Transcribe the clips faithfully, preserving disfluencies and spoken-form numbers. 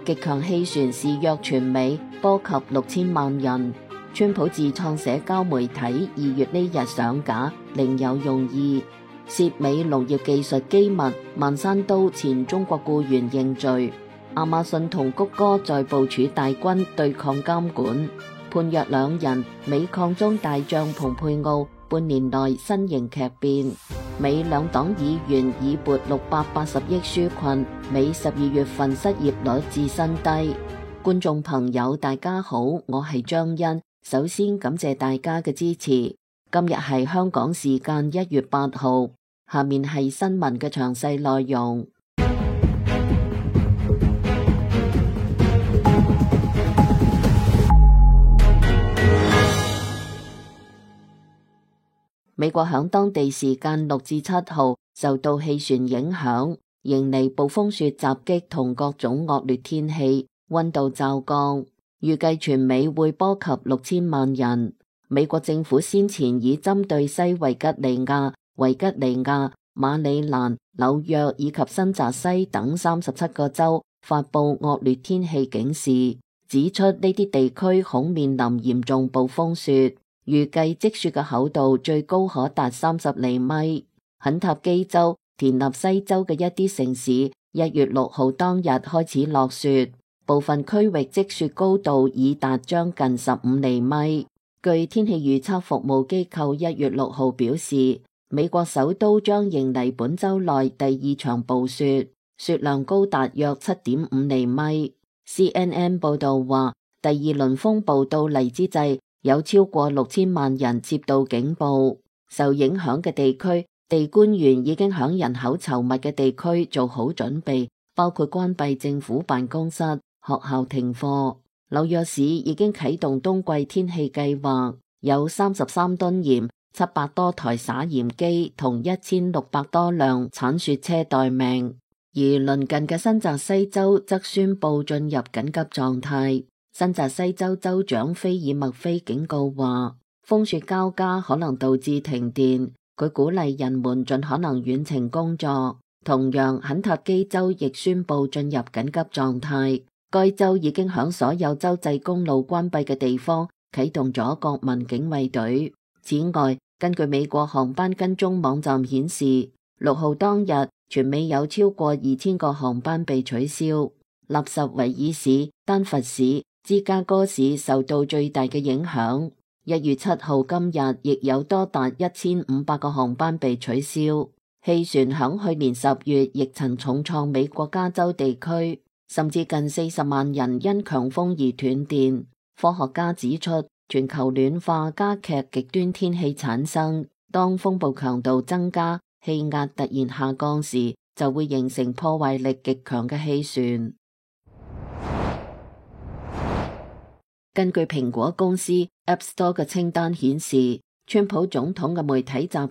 極強氣旋肆虐全美，波及六千萬人。川普自創社交媒體二月呢日上架，另有用意。涉美農業技術機密，孟山都前中國僱員認罪。亞馬遜同谷歌在部署大軍對抗監管，判若兩人。美抗中大將蓬佩奧半年內身形劇變。美兩黨議員已撥六百八十億紓困，美十二月份失業率至新低。觀眾朋友大家好，我係張欣，首先感謝大家嘅支持。今日係香港時間一月八號，下面係新聞嘅詳細內容。美國響當地時間六至七號受到氣旋影響，迎嚟暴風雪襲擊同各種惡劣天氣，溫度驟降，預計全美會波及六千萬人。美國政府先前已針對西維吉尼亞、維吉尼亞、馬里蘭、紐約以及新澤西等三十七個州發布惡劣天氣警示，指出呢啲地區恐面臨嚴重暴風雪。預計積雪嘅厚度最高可達三十厘米。肯塔基州、田納西州嘅一啲城市，一月六號當日開始落雪，部分區域積雪高度已達將近十五厘米。據天氣預測服務機構一月六號表示，美國首都將迎嚟本周內第二場暴雪，雪量高達約七點五厘米。C N N 報道話，第二輪風暴到嚟之際，有超過六千萬人接到警報。受影響嘅地區，地官員已經響人口稠密嘅地區做好準備，包括關閉政府辦公室、學校停課。紐約市已經啟動冬季天氣計劃，有三十三噸鹽、七百多台撒鹽機同一千六百多輛鏟雪車待命。而鄰近嘅新澤西州則宣布進入緊急狀態。新澤西州州長菲爾麥菲警告話，風雪交加可能導致停電，佢鼓勵人們盡可能遠程工作。同樣，肯塔基州亦宣布進入緊急狀態，該州已經響所有州際公路關閉嘅地方啟動咗國民警衛隊。此外，根據美國航班跟蹤網站顯示，六號當日全美有超過二千個航班被取消。納什維爾市、丹佛市、芝加哥市受到最大嘅影響。一月七號今日亦有多達一千五百個航班被取消。氣旋響去年十月亦曾重創美國加州地區，甚至近四十萬人因強風而斷電。科學家指出，全球暖化加劇極端天氣產生，當風暴強度增加、氣壓突然下降時，就會形成破壞力極強嘅氣旋。根據蘋果公司 App Store 嘅清單顯示，川普總統嘅媒體集團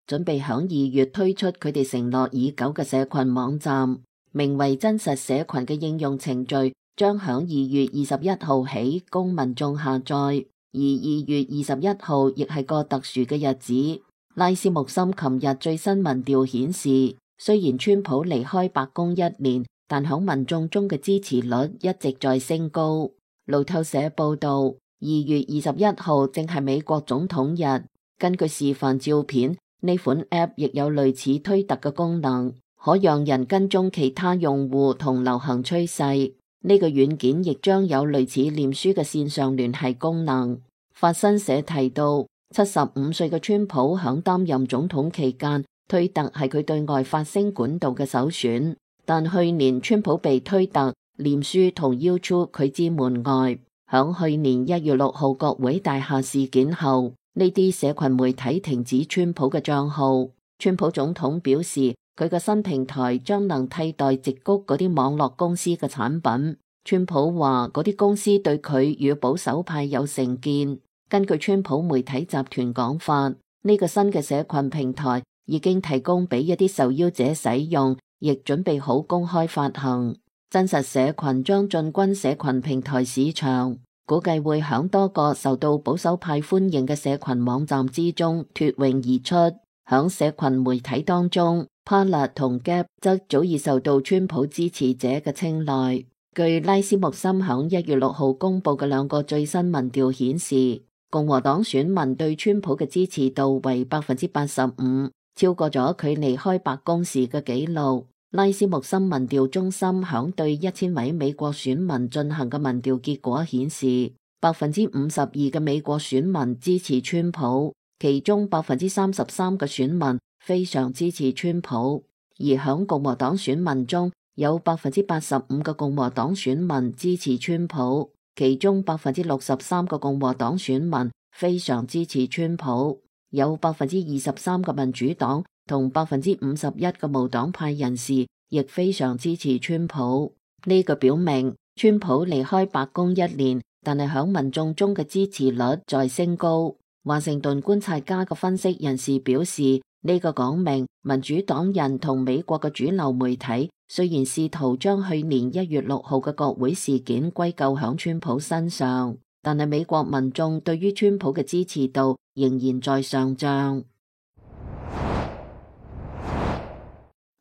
準備響二月推出佢哋承諾已久嘅社群網站，名為真實社群嘅應用程序將響二月二十一號起供民眾下載，而二月二十一號亦係個特殊嘅日子。拉斯穆森琴日最新民調顯示，雖然川普離開白宮一年，但響民眾中嘅支持率一直在升高。路透社報道，二月二十一號正係美國總統日。根據示範照片，呢款 App 亦有類似推特嘅功能，可讓人跟蹤其他用戶同流行趨勢。呢個軟件亦將有類似臉書嘅線上聯繫功能。法新社提到，七十五歲嘅川普響擔任總統期間，推特係佢對外發聲管道嘅首選。但去年川普被推特、臉書同 YouTube 拒之門外。響去年一月六號國會大廈事件後，呢啲社群媒體停止川普嘅賬號。川普總統表示，佢嘅新平台將能替代矽谷嗰啲網絡公司嘅產品。川普話嗰啲公司對佢與保守派有成見。根據川普媒體集團講法，呢、這個新嘅社群平台已經提供俾一啲受邀者使用，亦準備好公開發行。真實社群將進軍社群平台市場，估計會響多個受到保守派歡迎嘅社群網站之中脫穎而出。響社群媒體當中，Parler同 Gap 則早已受到川普支持者嘅青睞。據拉斯穆森響一月六號公布嘅兩個最新民調顯示，共和黨選民對川普嘅支持度為百分之八十五，超過咗佢離開白宮時嘅紀錄。拉斯穆森民調中心響對一千位美國選民進行嘅民調結果顯示，百分之五十二嘅美國選民支持川普，其中百分之三十三嘅選民非常支持川普。而響共和黨選民中，有百分之八十五嘅共和黨選民支持川普，其中百分之六十三嘅共和黨選民非常支持川普，有百分之二十三嘅民主黨同百分之五十一嘅無黨派人士亦非常支持川普。呢個表明川普離開白宮一年，但係響民眾中嘅支持率在升高。華盛頓觀察家嘅分析人士表示，呢個講明民主黨人同美國嘅主流媒體雖然試圖將去年一月六號嘅國會事件歸咎響川普身上，但係美國民眾對於川普嘅支持度仍然在上漲。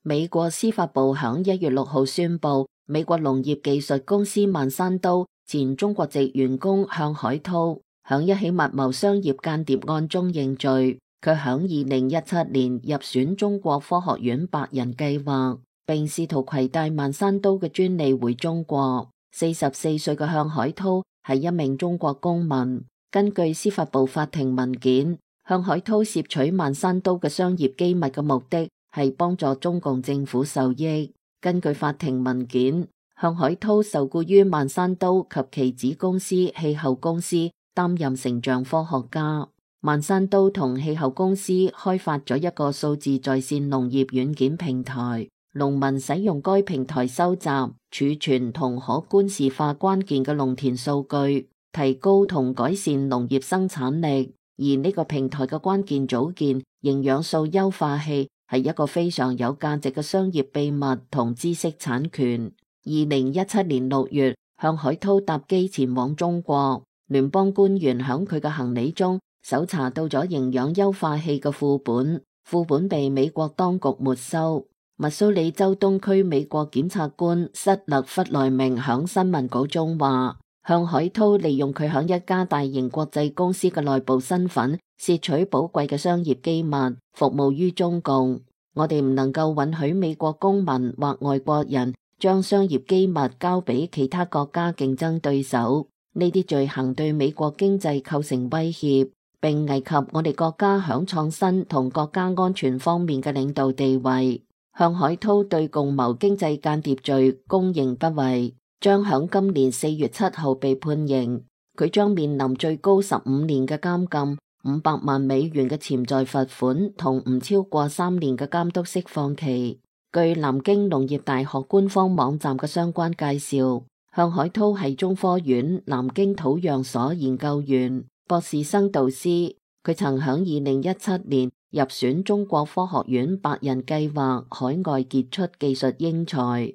美國司法部響一月六號宣布，美國農業技術公司曼山都前中國籍員工向海濤響一起密謀商業間諜案中認罪。佢響二零一七年入選中國科學院百人計劃，並試圖攜帶曼山都嘅專利回中國。四十四歲嘅向海濤係一名中國公民。根據司法部法庭文件，向海濤攝取曼山都嘅商業機密嘅目的係幫助中共政府受益。根據法庭文件，向海濤受僱於曼山都及其子公司氣候公司擔任成像科學家。曼山都同氣候公司開發咗一個數字在線農業軟件平台，農民使用該平台收集、儲存同可觀視化關鍵嘅農田數據，提高同改善農業生產力。而呢個平台嘅關鍵組件營養素優化器係一個非常有價值嘅商業秘密同知識產權。二零一七年六月，向海濤搭機前往中國，聯邦官員響佢嘅行李中搜查到咗營養優化器嘅副本，副本被美國當局沒收。密蘇里州東區美國檢察官塞勒弗萊明響新聞稿中話，向海濤利用佢響一家大型國際公司嘅內部身份，竊取寶貴嘅商業機密，服務於中共。我哋唔能夠允許美國公民或外國人將商業機密交俾其他國家競爭對手。呢啲罪行對美國經濟構成威脅，並危及我哋國家響創新同國家安全方面嘅領導地位。向海濤對共謀經濟間諜罪供認不諱，將響今年四月七號被判刑。佢將面臨最高十五年嘅監禁、五百萬美元嘅潛在罰款同唔超過三年嘅監督釋放期。據南京農業大學官方網站嘅相關介紹，向海濤係中科院南京土壤所研究員、博士生導師。佢曾響二零一七年入選中國科學院百人計劃海外傑出技術英才。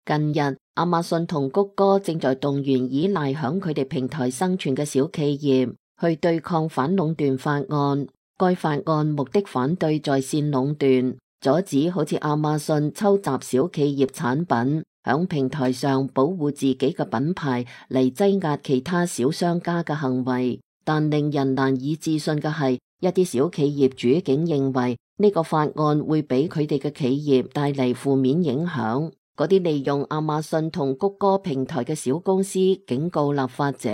近日，亞馬遜同谷歌正在動員依賴響佢哋平台生存嘅小企業去對抗反壟斷法案。該法案目的反對在線壟斷，阻止好似亞馬遜抽襲小企業產品，響平台上保護自己嘅品牌嚟擠壓其他小商家嘅行為。但令人難以置信嘅係，一啲小企業主竟認為呢個法案會俾佢哋嘅企業帶嚟負面影響。嗰啲利用亞馬遜同谷歌平台嘅小公司警告立法者，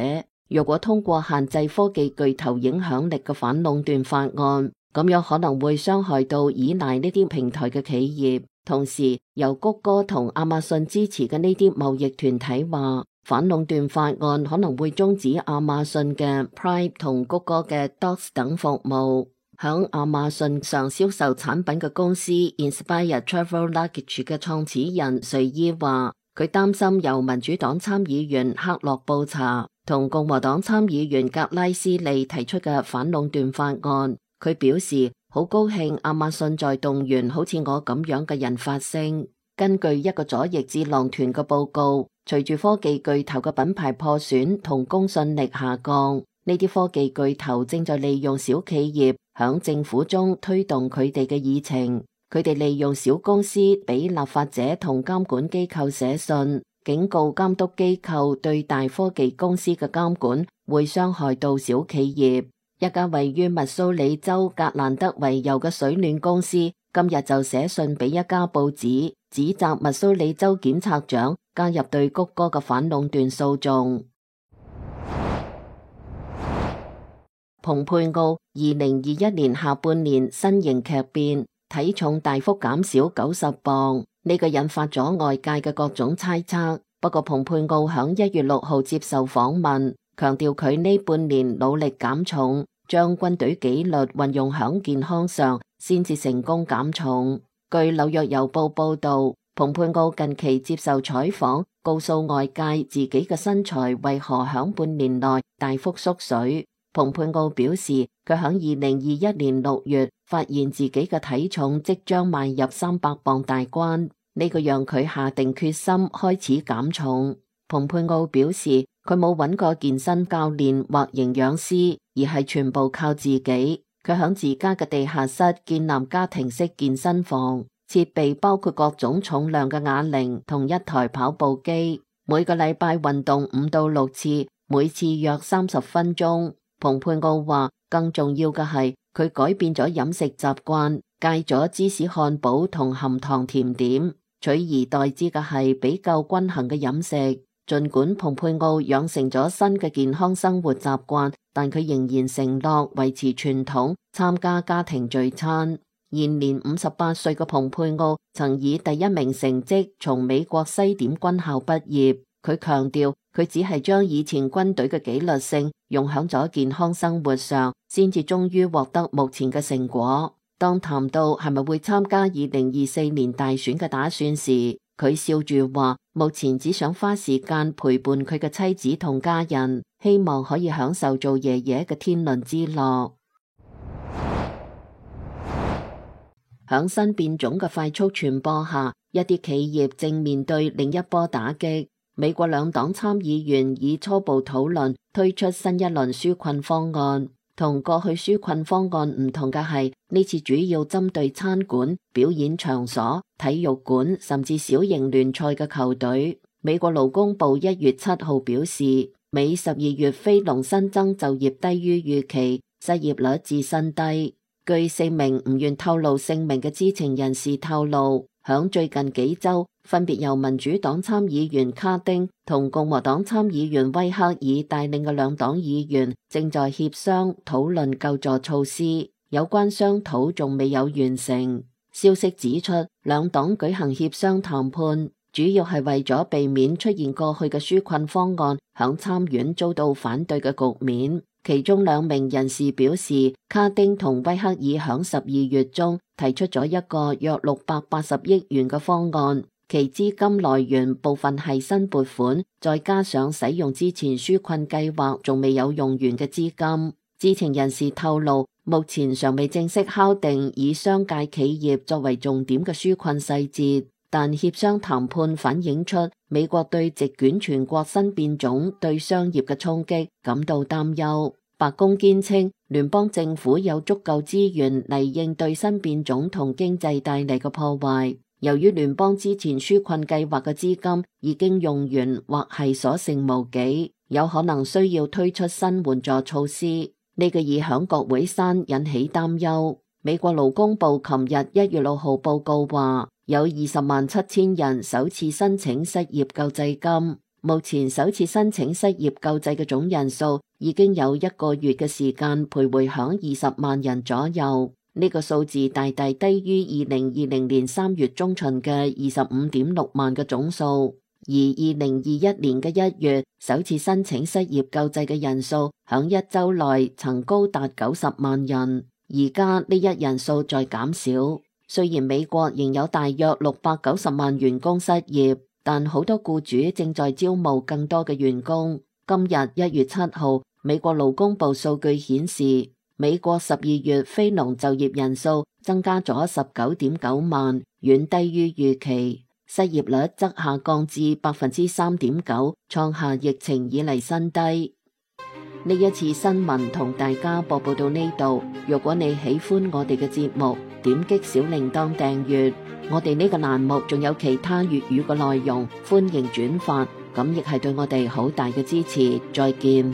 若果通過限制科技巨頭影響力嘅反壟斷法案，咁樣可能會傷害到依賴呢啲平台嘅企業。同時，由谷歌同亞馬遜支持嘅呢啲貿易團體話，反壟斷法案可能會終止亞馬遜嘅 Prime 同谷歌嘅 Docs 等服務。響亞馬遜上銷售產品嘅公司 Inspire Travel Luggage 嘅創始人瑞伊話，佢擔心由民主黨參議員克洛布查同共和黨參議員格拉斯利提出嘅反壟斷法案。佢表示好高興亞馬遜在動員好似我咁樣嘅人發聲。根據一個左翼智囊團嘅報告，隨住科技巨頭嘅品牌破損同公信力下降，呢啲科技巨頭正在利用小企業響政府中推動佢哋嘅議程。佢哋利用小公司俾立法者同監管機構寫信，警告監督機構對大科技公司嘅監管會傷害到小企業。一家位於密蘇里州格蘭德維尤嘅水暖公司今日就寫信俾一家報紙，指責密蘇里州檢察長加入對谷歌嘅反壟斷訴訟。蓬佩奧二零二一年下半年身形劇變，體重大幅減少九十磅，呢個引發咗外界嘅各種猜測。不過蓬佩奧響一月六號接受訪問，強調佢呢半年努力減重，將軍隊紀律運用響健康上，先至成功減重。據紐約郵報報道，蓬佩奧近期接受採訪，告訴外界自己嘅身材為何響半年內大幅縮水。蓬佩奧表示，佢響二零二一年六月發現自己嘅體重即將邁入三百磅大關，呢個讓佢下定決心開始減重。蓬佩奧表示，佢冇揾過健身教練或營養師，而係全部靠自己。佢響自家嘅地下室建立家庭式健身房，設備包括各種重量嘅啞鈴同一台跑步機，每個禮拜運動五到六次，每次約三十分鐘。蓬佩奧話，更重要嘅係佢改變咗飲食習慣，戒咗芝士漢堡同含糖甜點，取而代之嘅係比較均衡嘅飲食。盡管蓬佩奧養成咗新嘅健康生活習慣，但佢仍然承諾維持傳統，參加家庭聚餐。現年五十八歲嘅蓬佩奧曾以第一名成績從美國西點軍校畢業。佢強調，佢只係將以前軍隊嘅紀律性用響咗健康生活上，先至終於獲得目前嘅成果。當談到係咪會參加二零二四年大選嘅打算時，佢笑住話，目前只想花時間陪伴佢嘅妻子同家人，希望可以享受做爺爺嘅天倫之樂。響新變種嘅快速傳播下，一啲企業正面對另一波打擊。美國兩黨參議員以初步討論推出新一輪紓困方案，同過去紓困方案唔同嘅係，呢次主要針對餐館、表演場所、體育館甚至小型聯賽嘅球隊。美國勞工部一月七號表示，美十二月非農新增就業低於預期，失業率至新低。據四名唔願透露姓名嘅知情人士透露，響最近幾周，分別由民主黨參議員卡丁同共和黨參議員威克爾帶領嘅兩黨議員正在協商討論救助措施，有關商討仲未有完成。消息指出，兩黨舉行協商談判，主要係為咗避免出現過去嘅紓困方案響參院遭到反對嘅局面。其中兩名人士表示，卡丁同威克爾響十二月中提出咗一個約六百八十億元嘅方案，其資金來源部分係新撥款，再加上使用之前紓困計劃仲未有用完嘅資金。知情人士透露，目前尚未正式敲定以商界企業作為重點嘅紓困細節，但協商談判反映出美國對席捲全國新變種對商業嘅衝擊感到擔憂。白宮堅稱，聯邦政府有足夠資源嚟應對新變種同經濟帶嚟嘅破壞。由於聯邦之前紓困計劃嘅資金已經用完或係所剩無幾，有可能需要推出新援助措施。呢個已響國會山引起擔憂。美國勞工部琴日一月六號報告話，有二十萬七千人首次申請失業救濟金。目前首次申請失業救濟嘅總人數已經有一個月嘅時間徘徊響二十萬人左右，呢個數字大大低於二零二零年三月中旬嘅二十五點六萬嘅總數。而二零二一年嘅一月，首次申請失業救濟嘅人數響一周內曾高達九十萬人，而家呢一人數在減少。雖然美國仍有大約六百九十萬員工失業，但好多僱主正在招募更多嘅員工。今日一月七號，美國勞工部數據顯示，美國十二月非農就業人數增加咗十九點九萬，遠低於預期。失業率則下降至百分之三點九，創下疫情以嚟新低。呢一次新聞同大家播報到呢度。如果你喜歡我哋嘅節目，點擊小鈴鐺訂閱。我哋呢個欄目仲有其他粵語嘅內容，歡迎轉發，咁亦係對我哋好大嘅支持。再見。